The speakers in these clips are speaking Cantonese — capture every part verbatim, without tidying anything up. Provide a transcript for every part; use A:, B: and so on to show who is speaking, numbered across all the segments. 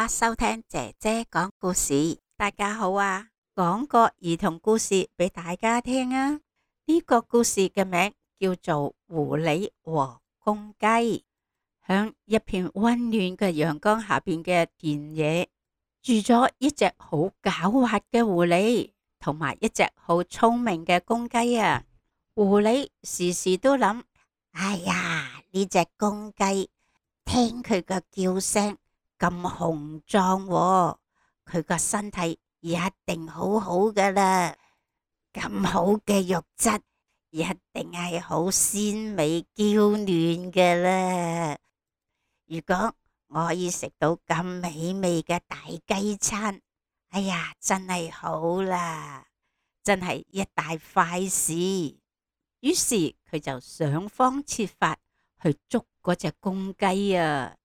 A: 家收聽姐姐講故事。大家好啊，講個兒童故事俾大家聽啊。呢個故事嘅名叫做《狐狸和公雞》。響一片溫暖嘅陽光下邊嘅田野，住咗一隻好狡猾嘅狐狸，同埋一隻好聰明嘅公雞啊。狐狸時時都諗：哎呀，呢隻公雞聽佢個叫聲咁雄壯喎，佢個身體一定好好噶啦，咁好嘅肉質一定係好鮮美嬌嫩噶啦。如果我可以食到咁美味嘅大雞餐，哎呀，真係好啦，真係一大快事。於是佢就想方設法去捉嗰隻公雞啊！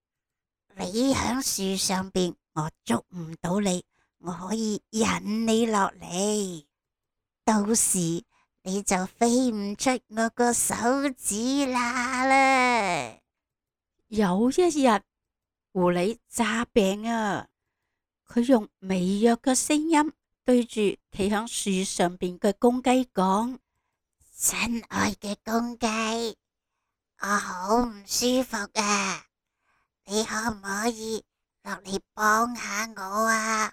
A: 你響樹上邊，我捉唔到你，我可以引你落嚟，到時你就飛唔出我個手指罅啦。有一日，狐狸詐病啊，佢用微弱嘅聲音對住企響樹上邊嘅公雞講：親愛嘅公雞，我好唔舒服啊！你可唔可以落嚟幫下我啊？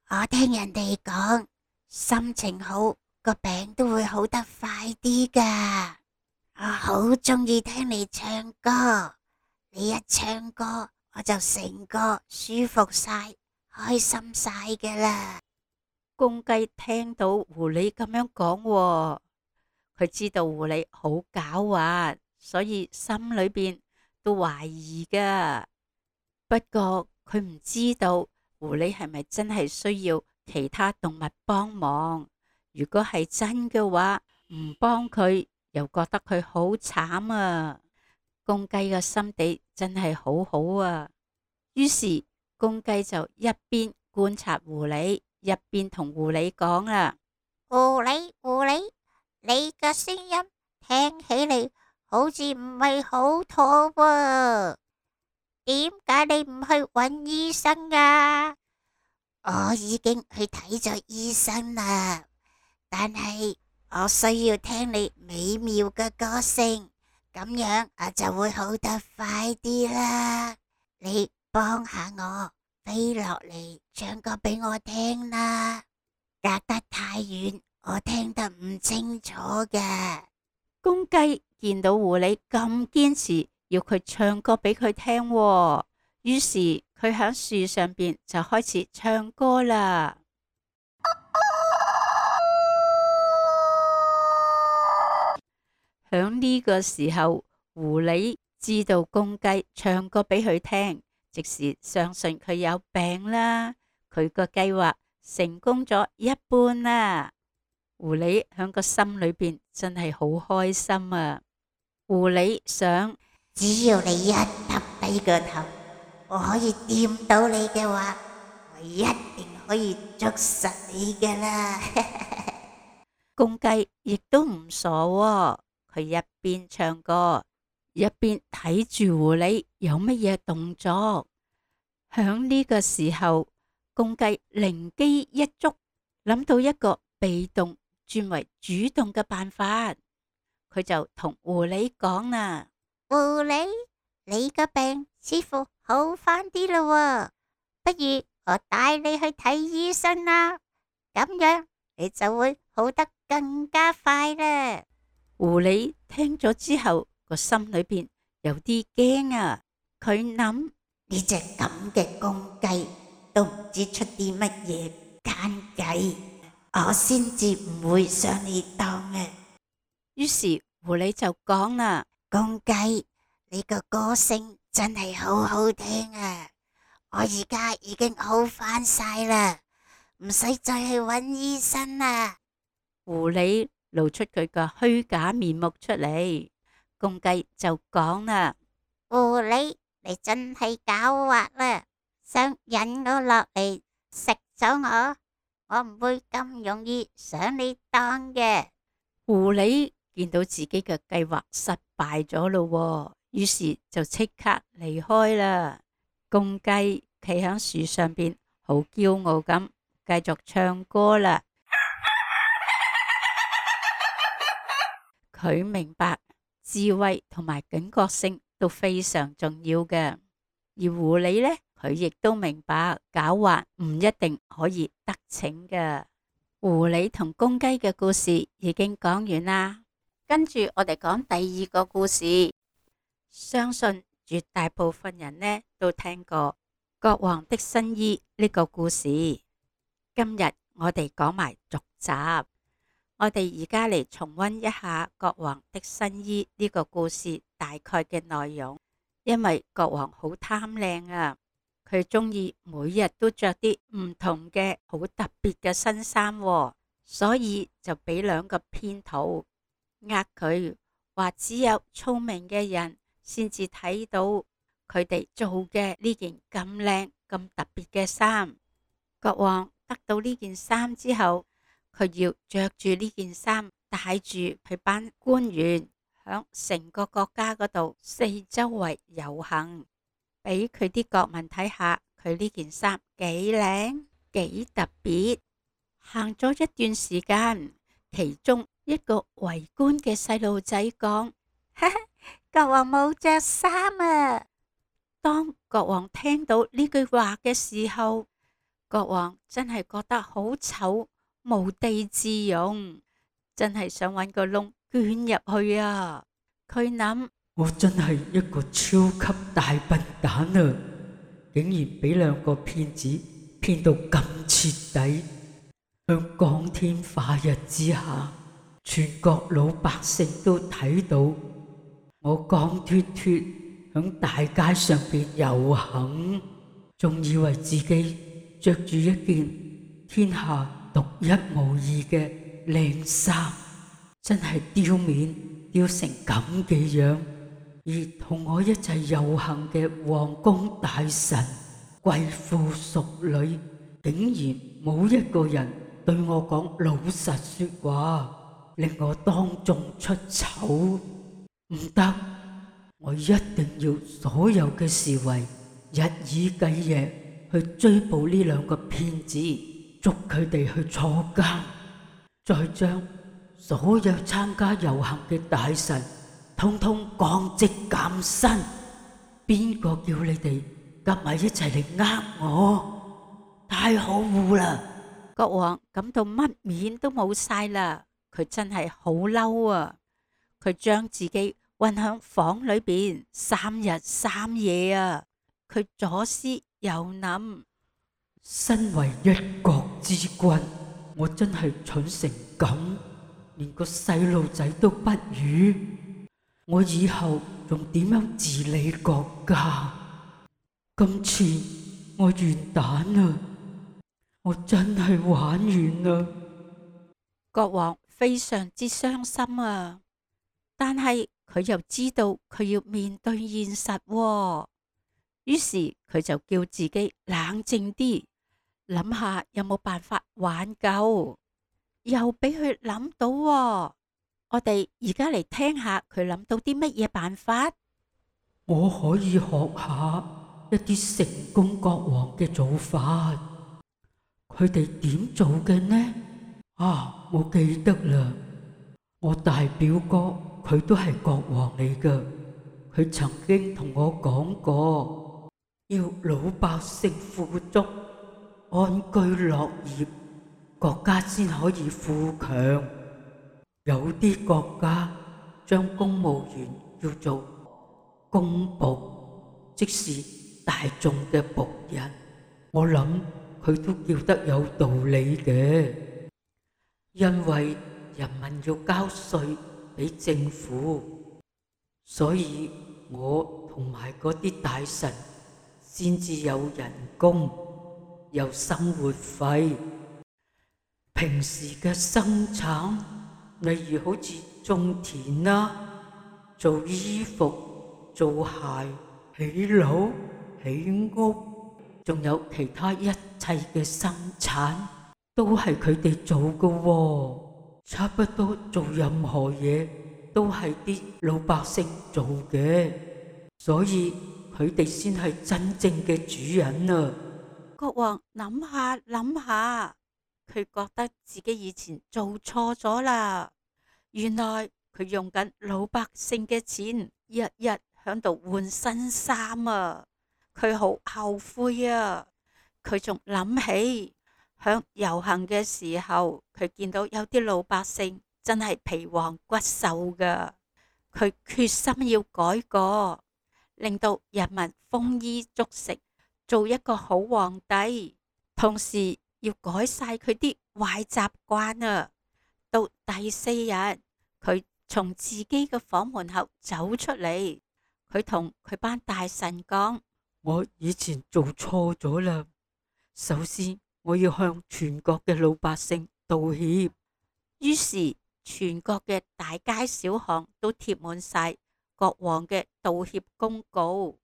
A: 我聽人哋講，心情好個病都會好得快啲噶。我好鍾意聽你唱歌，你一唱歌我就成個舒服晒、開心晒噶啦。公雞聽到狐狸咁樣講喎，佢知道狐狸好狡猾，所以心裏邊都懷疑噶。不過佢唔知道狐狸係咪真係需要其他動物幫忙。如果係真嘅話，唔幫佢又覺得佢好慘啊。公雞嘅心地真係好好啊。於是公雞就一邊觀察狐狸，一邊同狐狸講啦：狐狸，狐狸，你嘅聲音聽起嚟好似唔係好妥喎，點解你唔去揾醫生啊？我已經去睇咗醫生啦，但係我需要聽你美妙嘅歌聲，咁樣我就會好得快啲啦。你幫下我飛落嚟唱歌俾我聽啦，隔得太遠，我聽得唔清楚嘅。公雞見到狐狸咁堅持要佢唱歌俾佢聽喎，於是佢喺樹上邊就開始唱歌啦。響呢個時候，狐狸知道公雞唱歌俾佢聽，即是相信佢有病啦，佢個計劃成功咗一半啦。狐狸響個心裏邊真係好開心啊！狐狸想，只要你一耷低個頭，我可以掂到你嘅話，我一定可以捉實你㗎啦。公雞亦都唔傻喎，佢一邊唱歌，一邊睇住狐狸有乜嘢動作。響呢個時候，公雞靈機一觸，諗到一個被動轉為主動嘅辦法，佢就同狐狸講啦：狐狸，你個病似乎好返啲啦，不如我帶你去睇醫生啦，咁樣你就會好得更加快啦。狐狸聽咗之後，個心裏邊有啲驚啊，佢諗，呢隻咁嘅公雞都唔知出啲乜嘢奸計，我先至唔會上你當嘅。於是狐狸就講啦：公雞，你個歌聲真係好好聽啊！我而家已經好返晒啦，唔使再去揾醫生啦。狐狸露出佢個虛假面目出嚟，公雞就講啦：狐狸，你真係狡猾啦，想引我落嚟食咗我，我唔會咁容易上你當嘅。狐狸見到自己嘅計劃失敗咗咯，於是就即刻離開啦。公雞企喺樹上邊，好驕傲咁繼續唱歌啦。佢明白智慧同埋警覺性都非常重要嘅，而狐狸呢，佢亦都明白狡猾唔一定可以得逞嘅。狐狸同公雞嘅故事已經講完啦，跟住我哋講第二個故事。相信絕大部分人呢都聽過國王的新衣呢個故事。今日我哋講埋續集，我哋而家嚟重溫一下國王的新衣呢個故事大概嘅內容。因為國王好貪靚啊，佢中意每日都着啲唔同嘅好特別嘅新衫喎，所以就俾兩個騙徒呃佢，話只有聰明嘅人先至睇到佢哋做嘅呢件咁靚咁特別嘅衫。國王得到呢件衫之後，佢要着住呢件衫，帶住佢班官員響成個國家嗰度四周圍遊行，俾佢啲國民睇下佢呢件衫幾靚幾特別。行咗一段時間，其中一個圍觀嘅細路仔講：哈哈，國王冇着衫啊！當國王聽到呢句話嘅時候，國王真係覺得好醜，無地自容，真係想搵個窿捐入去啊！佢諗：
B: 我真係一個超級大笨蛋啊！竟然俾兩個騙子騙到咁徹底。向光天化日之下，全國老百姓都睇到我光脫脫響大街上邊遊行，仲以為自己着住一件天下獨一無二嘅靚衫，真係丟面丟成咁嘅樣。而同我一齊遊行嘅皇宮大臣、貴婦淑女，竟然冇一個人對我講老實說話，令我當眾出醜。唔得，我一定要所有嘅侍衛日以繼夜去追捕呢兩個騙子，捉佢哋去坐監，再將所有參加遊行嘅大臣通通降職減薪。邊個叫你哋夾埋一齊嚟呃我？太可惡啦！
A: 國王感到乜面都冇晒啦，佢真係好嬲啊！佢將自己困響房裏邊三日三夜啊！佢左思右諗，
B: 身為一國之君，我真係蠢成咁，連個細路仔都不如。我以後仲點樣治理國家？今次我完蛋啦！我真係玩完啦！
A: 國王非常之傷心啊，但係佢又知道佢要面對現實喎，於是佢就叫自己冷靜啲，諗下有冇辦法挽救。又俾佢諗到喎，我哋而家嚟聽下佢諗到啲乜嘢辦法。
B: 我可以學下一啲成功國王嘅做法。佢哋點做嘅呢？啊，我記得啦，我大表哥佢都係國王嚟噶，佢曾經同我講過，要老百姓富足、安居樂業，國家先可以富強。有啲國家將公務員叫做公僕，即是大眾嘅僕人。我諗佢都叫得有道理嘅，因為人民要交稅俾政府，所以我同埋嗰啲大臣先至有人工，有生活費。平時嘅生產，例如好似種田啦、做衣服、做鞋、起樓、起屋，仲有其他一切嘅生產，都係佢哋做㗎喎。差不多做任何嘢都係啲老百姓做嘅，所以佢佢哋先係真正嘅主人啊！
A: 國王諗下諗下，佢覺得自己以前做錯咗啦。原來佢用緊老百姓嘅錢，日日響度換新衫啊！佢好後悔啊！佢仲諗起響遊行嘅時候，佢見到有啲老百姓真係皮黃骨瘦噶。佢決心要改過，令到人民豐衣足食，做一個好皇帝，同時要改晒佢啲壞習慣啊！到第四日，佢從自己嘅房門口走出嚟，佢同佢班大臣講：
B: 我以前做錯咗啦，首先我要向全國嘅老百姓道歉。
A: 於是全國嘅大街小巷都貼滿晒國王嘅道歉公告，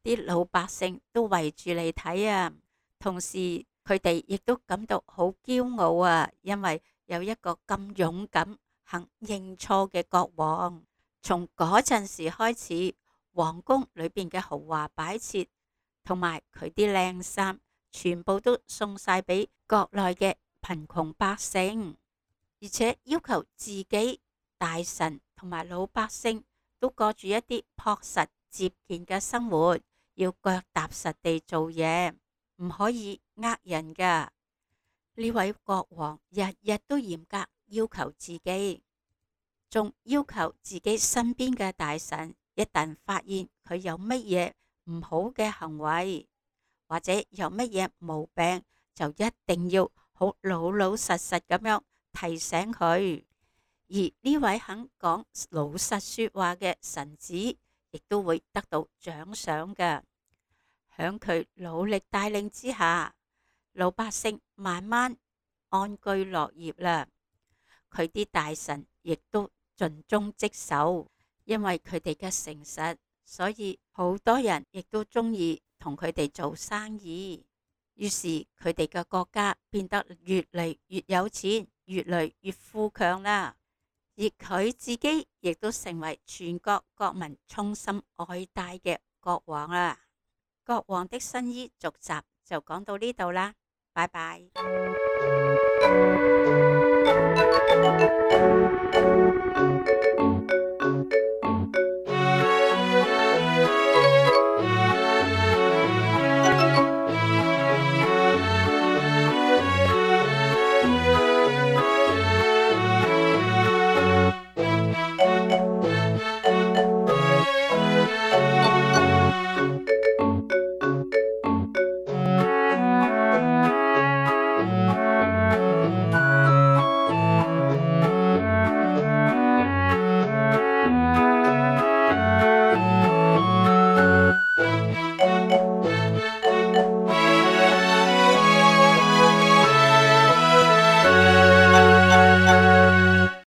A: 啲老百姓都圍住嚟睇啊。同時佢哋亦都感到好驕傲啊，因為有一個咁勇敢肯認錯嘅國王。從嗰陣時開始，皇宮裏邊嘅豪華擺設同埋佢啲靚衫，全部都送晒俾國內嘅貧窮百姓。而且要求自己、大臣同埋老百姓都過住一啲樸實節儉嘅生活，要腳踏實地做嘢，唔可以呃人噶。呢位國王日日都嚴格要求自己，仲要求自己身邊嘅大臣，一旦發現佢有乜嘢唔好嘅行為，或者有乜嘢毛病，就一定要好老老實實咁樣提醒佢。而呢位肯講老實說話嘅臣子，亦都會得到獎賞嘅。響佢努力帶領之下，老百姓慢慢安居樂業啦。佢啲大臣亦都盡忠職守，因為佢哋嘅誠實，所以好多人亦都中意同佢哋做生意。於是佢哋嘅國家變得越嚟越有錢，越嚟越富強啦。而佢自己亦都成為全國國民衷心愛戴嘅國王啦。國王的新衣續集就講到呢度啦，拜拜。